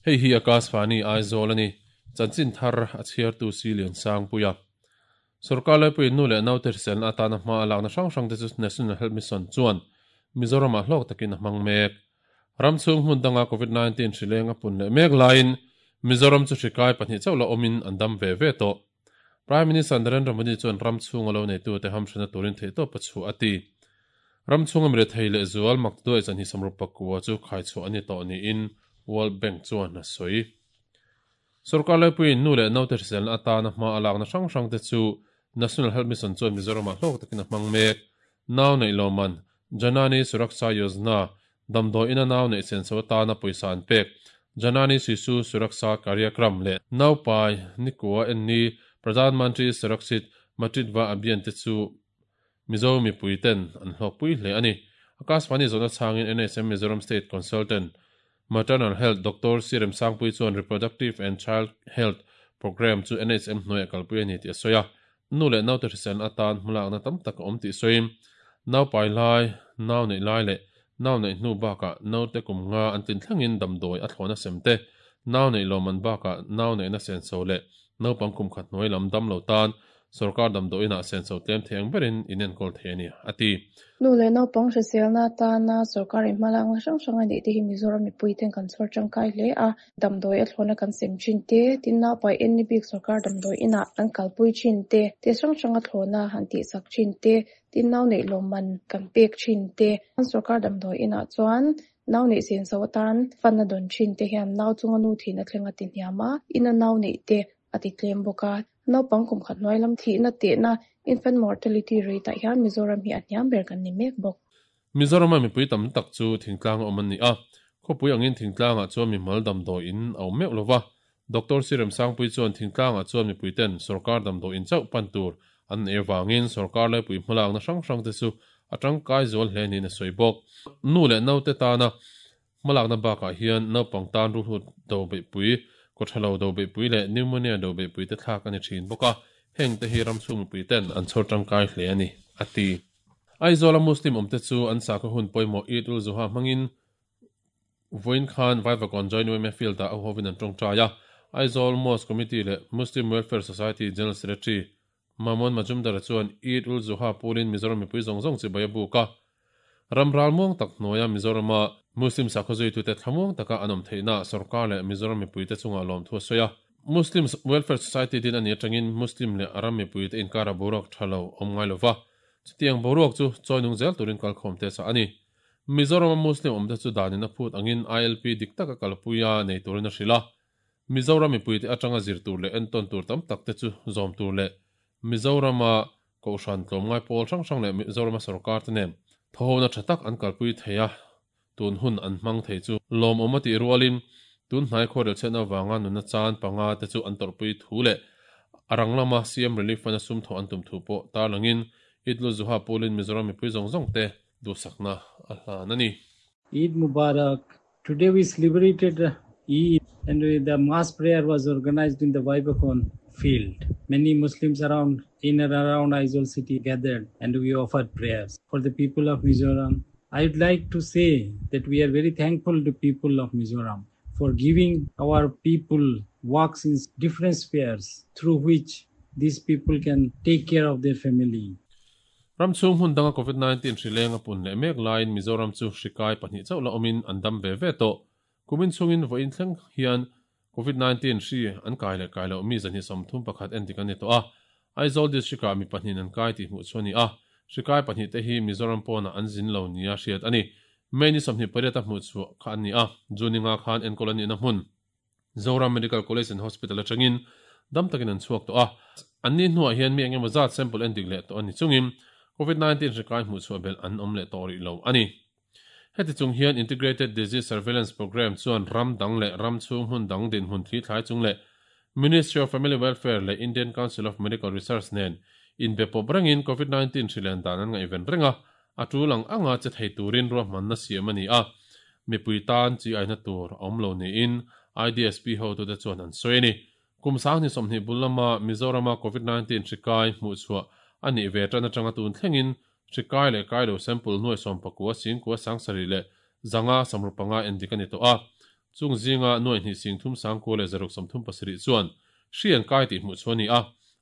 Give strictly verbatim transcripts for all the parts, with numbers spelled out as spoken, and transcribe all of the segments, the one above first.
Hei hi Akashvani Aizawl ani chanchin thar a chhiartu si lian sang puia Sarkar laipui nu leh naute hriselna atana hma a lakna hrang hrang te chu National Health Mission chuan Mizoram ah hlawk takin a hmang mek. Ram chhung hmun danga COVID nineteen hrileng a pun leh mek laiin Mizoram chu hrikai pahnih chauh la awmin an dam ve ve tawh. Prime Minister Narendra Modi chuan ram chhung a lo neitu te hamhrena turin theihtawp a chhuah a ti. Ram chhung a mi rethei leh zual mak duai chan hi samrup pakua chu khaichhuah a ni tawh niin World Bank chuan a sawi. Sarkar laipuiin nu leh naute hriselna atana hma a lakna hrang hrang te chu National Health Mission chuan Mizoram ah hlawk takin a hmang mek. Nau neih lawman Janani Suraksha Yojana damdawi ina nau neih senso atana pawisa an pek Janani Shishu Suraksha Karyakram leh Naupai Nikua enni Pradhan Mantri Surakshit Matritva Abhiyan te chu Mizo mipui ten an hlawk pui hle ani. Akashvani zawhna chhangin N H M Mizoram State Consultant Maternal Health Doctor Sirem Sangpui chuan Reproductive and Child Health Program chu N H M hnuaiah kalpui a ni tih a sawi a. Nu leh naute hriselna atan hmalakna tam tak a awm tih sawiin naupai lai, nau neih lai leh nau neih hnu bakah naute kum nga an tlin thlengin damdawi a thlawna sem te, nau neih lawman bakah nau neihna senso leh naupang kum khat hnuai lam dam lo tan sarkar damdawi inah senso tlem thei ang berin inenkawl thei a ni, a ti. Nu leh naupang hriselna atana sarkar inhmalakna hrang hrang a neih te hi Mizoram mipui ten kan chhawr tangkai hle a, damdawi a thlawna kan sem thin te, tin naupai en ni bik sarkar damdawi inah an kalpui thin te, te hrang hrang a thlawna han tihsak thin te, tin nau neih lawman kan pek thin te, an sarkar damdawi inah chuan nau neih senso atan fan a dawn thin te hian nau chunga nu thin a thleng a ti hniam a, ina nau neih te a ti tlem bawk a. Naupang kum khat hnuai lam thihna tehna infant mortality rate ah hian Mizoram hi a hniam ber kan ni mek bawk. Mizoram a mipui tam tak chu thingtlang a awm an ni a, khawpui angin thingtlang ah chuan mimal damdawi in a awm meuh lova. Doctor Sirem Sangpui chuan thingtlang ah chuan mipui ten sarkar damdawi in chauh pan tur an nei avangin sarkar laipui hmalakna hrang hrang te chu a tangkai zual hle niin a sawi bawk. Nu leh naute tana hmalakna bakah hian naupang tan ruhlut do beihpui, kawthalo do beihpui leh pneumonia do beihpui te thlak a ni thin bawk a, heng te hi ram chhung mipui ten an chhawr tangkai hle a ni, a ti. Aizawl a Muslim awm te chu an sakhaw hun pawimawh Eid ul Zuha hmangin vawiin khan Vaivakawn Joint Y M A Field ah a hovin an tawngtai a. Aizawl Mosque Committee leh Muslim Welfare Society General Secretary Mamon Majumdar chuan Eid ul Zuha pulin Mizoram mipui zawng zawng chibai a buk a. Ram ral muang tak hnuaia Mizorama Muslim sakhaw zuitute thlamuang taka an awm theihna sarkar leh Mizoram mipui te chungah lawm thu a sawi a. Muslim Welfare Society din a ni atangin Muslim leh ram mipui te inkara boruak tha lo awm ngai lova. Chutiang boruak chu chawinung zel turin kalkhawm te sa a ni. Mizorama Muslim awm te chu danin a phut angin I L P dik taka kalpuia nei turin a hrilh a. Mizoram mipui te atanga zir tur leh enton tur tam tak te chu zawm tur leh Mizorama kohhran tlawmngai pawl hrang hrang leh Mizorama sarkar te nen thawhona tha tak an kalpui thei a, tun hun an hmang thei chu lawm awm a tih rualin tun hnai khawrel chhiatna avanga nunna chan panga te chu an tawrhpui thu leh a rang lama C M Relief Fund a sum thawh an tum thu pawh tarlangin Eid ul Zuha pulin Mizoram mipui zawng zawng te duhsakna a hlan a ni. Eid Mubarak. Today we celebrated Eid and the mass prayer was organized in the Vaivakawn field. Many Muslims around in and around Aizawl city gathered and we offered prayers for the people of Mizoram. I would like to say that we are very thankful to people of Mizoram for giving our people works in different spheres through which these people can take care of their family. Ram chhung hun danga COVID nineteen hrileng a pun leh mek laiin Mizoram chu hrikai pahnih chauh la awmin an dam ve ve tawh. Kumin chungin vawiin thleng hian COVID nineteen hri an kai leh kai loh mi zan hi sawmthum pakhat en dik an ni tawh a. Aizawl district ah mi pahnih an kai tih hmuh chu a ni a. Hrikai pahnih te hi Mizoram pawnah an zin lo nia hriat a ni. May ni sawmhnih pariat a hmuh chhuah kha an ni a. June nga khan enkawl an nihna hmun Zoram Medical College and Hospital atangin dam takin an chhuak tawh a. An ni hnuah hian mi engemaw zat sample en dik leh tawh a ni chungin COVID nineteen hrikai hmuh chhuah bel an awm leh tawh rih lo a ni. Heti chung hian Integrated Disease Surveillance Program chuan ram dang leh ram chhung hmun dang din hmun thli thlai chung leh Ministry of Family Welfare leh Indian Council of Medical Research nen inbe pawp rengin COVID nineteen hrilen dan an ngaihven reng a, a tul ang anga che thei turin ruahmanna siam a ni a. Mipui tan chi aina tur a awm lo niin I D S P ho tute chuan an sawi a ni. Kum sang ni sawmhnih bul lama Mizorama COVID nineteen hrikai hmuh chhuah a nih ve tan atanga tun thlengin hrikai leh kai lo sample nuai sawm pakua singkua sangsarih leh zanga samrupanga en dik a ni tawh a. Chung zinga nuai hnih sing thum sang ko le zaruk samthum pasarih chuan hri an kai tih hmuh chu ani a.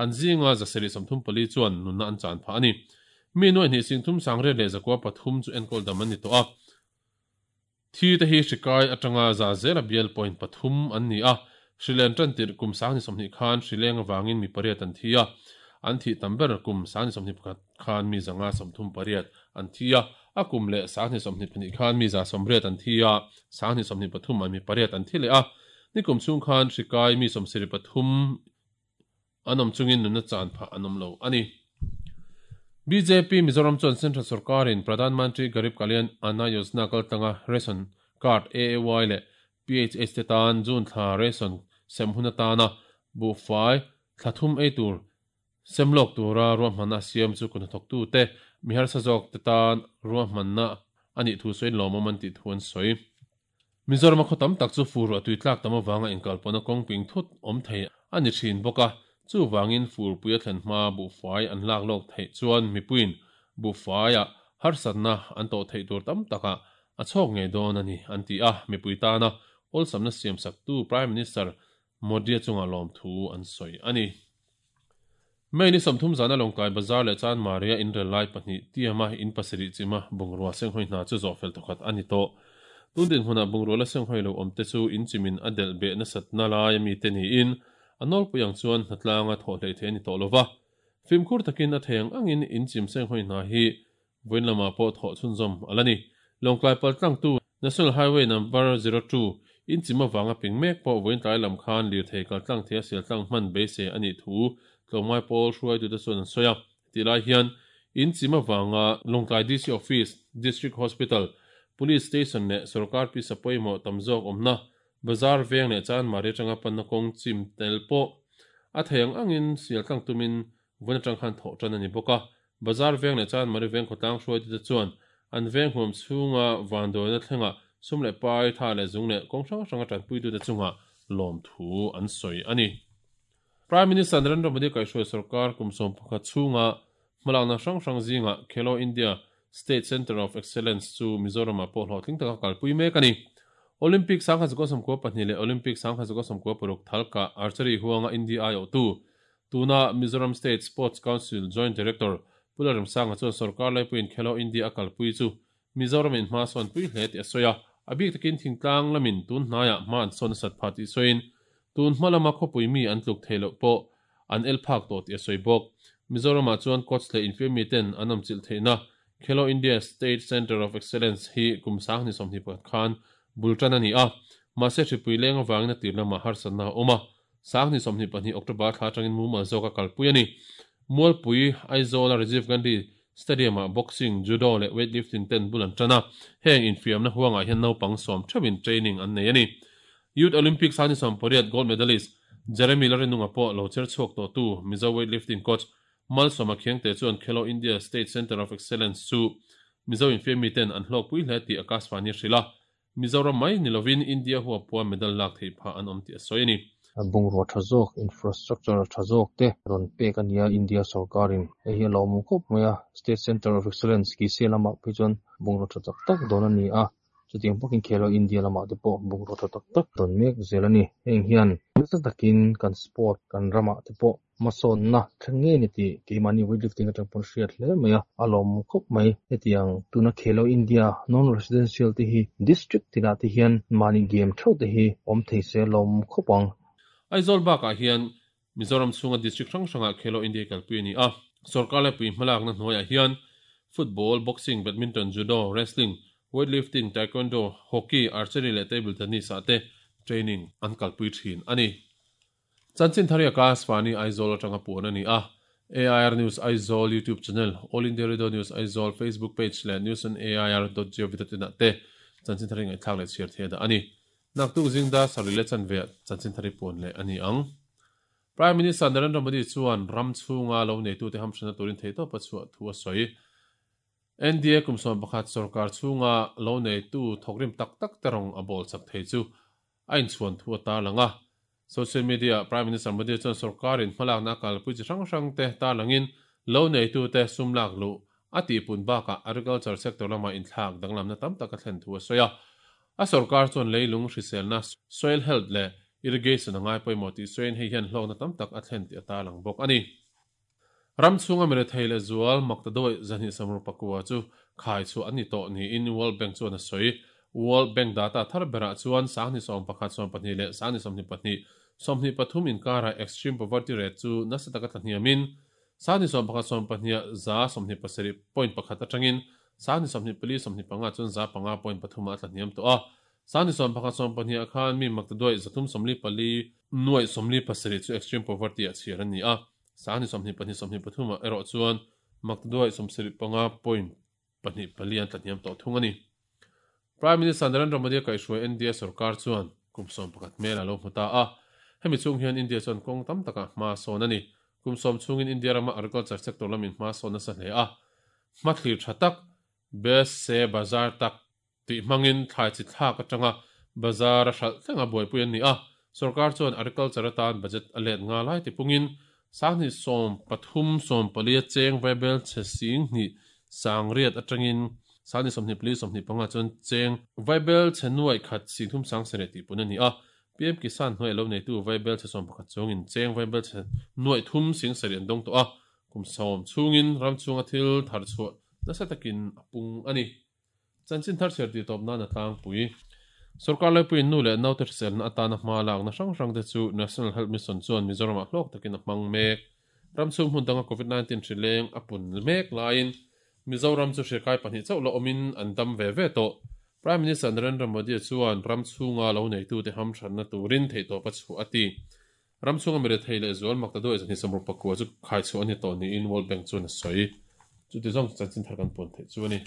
An zinga zasarih samthum pali chuan nunna an chan pha ani. Mi nuai hnih sing thum sang re le zakua pathum chu enkawl dam an ni tawh a. Thi te hi hri kai atanga za zela bial point pathum an ni a. Hrilen tan tir kum sang ni sawmhnih khan hrileng awangin mi pariat an thi a. An thi tam ber kum sang ni sawmhnih pakhat khan mi zanga sawmthum pariat an thi a. A kum leh sang ni sawmhnih pahnih khan mi za sawmriat an thi a. Sang ni sawmhnih pathum an mi pariat an thi leh a. Ni kum chung khan hri kai mi sawmsarih pathum an awm chungin nunna chan phah an awm lo ani. B J P Mizoram chuan Central Sarkarin Pradhan Mantri Garib Kalyan Anna Yojana kaltanga Ration Card A A Y leh P H H te tan June thla ration sem hun atana buhfai thlathum ei tur semlawk tura ruahmanna siam chu kuhnathawktu te mihar sazawk te tan ruahmanna anih thu sawiin lawmawm an tih thu an sawi. Mizoram a khaw tam tak chu fur a tui tlak tam awanga inkalpawna kawngping thut awm thei ani thin bawk a. Chu wangin fur puia thlen hma buhfai an lak lawk theih chuan mipuiin buhfaia harsatna an tawh theih tur tam taka a chhawk ngei dawn ani an ti a. Mipui tana awlsamna siam sak tu Prime Minister Modi chunga lawm thu an sawi ani. May ni samthum zana Lawngtlai Bazar leh Chan Maria inrel lai pahnih tiama in pasarih chima bungrua senghoi hna chu zawh fel thawkhat ani tawh. Tun din hmunah bungrua la senghoi lo awm te chu in chimin a delh beh nasatna lai ami te niin a nawlpui ang chuan hnatlanga thawh hlei thei ani tawh lova. Fimkhur takin a thei ang angin in chim senghoi hna hi vawiin lamah pawh thawh chhunzawm ala ni. Lawngtlai paltlang tu National Highway number zero two in chim awanga ping mek pawh vawiin tlai lam khan lir thei kaltlang thei a sialtlang hman beisei ani thu tlawmngai pawl hruai tu te chuan an sawi a. Ti lai hian in chim awanga Lawngtlai D C Office, District Hospital, Police Station leh sarkar pi sapawimawh tam zawk awmna Bazar veng leh Chan Maria tanga panna kawng chim tel pawh a thei ang angin sialtlang tumin vawiin atang khan thawh tan ani bawk a. Bazar veng leh Chan Maria veng khawtlang hruai tu te chuan an veng huam chhunga vanduaina thlenga sum leh pai tha leh zung leh kawng hrang hranga tanpui tu te chunga lawm thu an sawi ani. Prime Minister Narendra Modi kaihhruai sarkar kum sawm pakhat chhunga hmalakna hrang hrang zinga Khelo India State Centre of Excellence chu Mizoramah pawh hlawhtling taka kalpui mek ani. Olympic sangha zuka sawmkua pahnih leh Olympic sangha zuka sawmkua paruk thalka archery huanga India ai awh tu tuna Mizoram State Sports Council Joint Director Pularam Sangha chuan sarkar laipuiin Khelo India a kalpui chu Mizoram in hma sawn pui hle tih a sawi a. A bik takin thingtlang lamin tun hnaiah hma an sawn sat pha tih sawiin tun hma lama khawpui mi an tluk thei loh pawh an el phak tawh tih a sawi bawk. Mizoramah chuan coach leh infiam mi ten an awm chilh theihna Khelo India State Centre of Excellence hi kum sang ni sawmhnih pakhat khan bultan ani a. Mahse hripui leng awangin a tir lamah harsatna a awm a. Sang ni sawmhnih pahnih October thla atangin mumal zawk a kalpui ani. Mualpui Aizawl a Rajiv Gandhi Stadium ah boxing, judo leh weightlifting ten bul an tan a. Heng infiamna huangah hian naupang sawm theuhin training an nei ani. Youth Olympics ani sawm pariat gold medalist Jeremy Larinunga pawh lo cher chhuak tawh tu Mizo weightlifting coach Malsawma Khiangte chuan Khelo India State Centre of Excellence chu Mizo infiam mi ten an hlawk pui hle tih Akashvani hrila. Mizoram mai nilovin India huwa pua medal lak thei pha an awm tih a sawi ani. Bungrua tha zawk infrastructure tha zawk te rawn pek ania India sarkarin hei hi a lawm khawp mai a. State Centre of Excellence ki se lamah phei chuan bungrua tha tak tak dawn ani a. Chutiang bawkin Khelo India lamah te pawh bungrua tha tak tak dawn mek zel ani. Heng hian nasa takin kan sport kan ramah te pawh hmasawnna thleng ngei ni tih keimahni weightlifting atang pawn hriat hle mai a. A lawm khawp mai. Hetiang tuna Khelo India non residential te hi district tinah te hian mahni game theuh te hi awm thei se lawm khawp ang. Aizawl bakah hian Mizoram chhunga district hrang hrangah Khelo India kalpui ani a. Sarkar laipui hmalakna hnuaiah hian football, boxing, badminton, judo, wrestling, weightlifting, taekwondo, hockey, archery leh table tennis ah te training an kalpui thin ani. Chanchin Thari Akashvani Aizawl atanga puan ani a. A I R News Aizawl YouTube channel, All India Radio News Aizawl Facebook page leh news on A I R dot gov dot in ah te Chanchin Thari ngaihthlak leh chhiar thei da ani. Naktuk zingda sarih leh chanve Chanchin Thari puan leh ani ang. Prime Minister Narendra Modi chuan ram chhunga lo nei tu te hamsana turin thei tawp a chhuah thu a sawi. N D A kum sawm pakhat sarkar chhunga lo nei tu thawkrim tak tak te rawng a bawl chak thei chu a inchhuan thu a tar lang a. Social media Prime Minister Modi chuan sarkarin hmalakna kalpui chi hrang hrang te tar langin lo nei tu te sum lak lu a tihpun bakah agriculture sector lama inthlak danglamna tam tak a thlen thu a sawi a. A sarkar chuan leilung hriselna soil health le irrigation angai pawimawh tih sawiin hei hian hlawkna tam tak a thlen tih a tarlang bawk ani. Ram chhunga mi rethei leh zual makta dawih zahnih samru pakua chu khai chu an ni tawh niin World Bank chuan a sawi. World Bank data thar berah chuan sangni sawm pakhat sawm pahnih leh sangni sawmhnih pahnih sawmhnih pathum inkara extreme poverty rate chu nasa taka tlahniamin sangni sawm pakhat sawm pahnih za sawmhnih pasarih point pakhat atangin sangni sawmhnih pali sawmhnih panga chuan za panga point pathum a tlahniam tawh a. Sangni sawm pakhat sawm pahnih khan mi makta dawih zathum sawmli pali nuai sawmli pasarih chu extreme poverty a chhiar an ni a. Sangni sawmhnih pahnih sawmhnih pathum a erawh chuan makta dawih sawmsarih panga point pahnih pali an tlahniam tawh thung ani. Prime Minister Narendra Modi kaihhruai India sarkar chuan kum sawm pakhat mel a lo hmu ta a. Hemi chung hian India chuan kawng tam taka hma sawn ani. Kum sawm chungin India rama agriculture sector lamin hma sawn nasa hle a. Hma thlir tha tak best se bazar tak tih hmangin thlai chi thlak atanga bazar a hralh thlenga buaipui an ni a. Sarkar chuan agriculture atan budget a let nga lai tipungin sangni sawm pathum sawm pali a cheng vaibel che sing hnih sangriat atangin sangni sawmhnih pali sawmhnih panga chuan cheng vaibel che nuai khat sing thum sang sarih tih pun ani a. P M Kisan hnuai lo nei tu vaibel che sawm pakhat chungin cheng vaibel che nuai thum sing sarih an dawng tawh a. Kum sawm chungin ram chunga thil thar chhuah nasa takin a pung ani. Chanchin thar chhiar tih tawp nan a tlangpui. Sarkar laipuiin nu leh naute hriselna atana hma lakna hrang hrang te chu National Health Mission chuan Mizoram ah hlawk takin a hmang mek. Ram chhung hmun danga COVID nineteen hri leng a pun mek laiin Mizoram chu hrikai pahnih chauh la awmin an dam ve ve tawh. Prime Minister Narendra Modi chuan ram chhunga lo neitu te ham hranna turin theihtawp a chhuah a ti. Ram chhunga mi rethei leh zual makta dawih zahnih samru pakua chu khai chhuah ani tawh niin World Bank chuan a sawi. Chu ti zawng chanchin thar kan puan theih chu ani.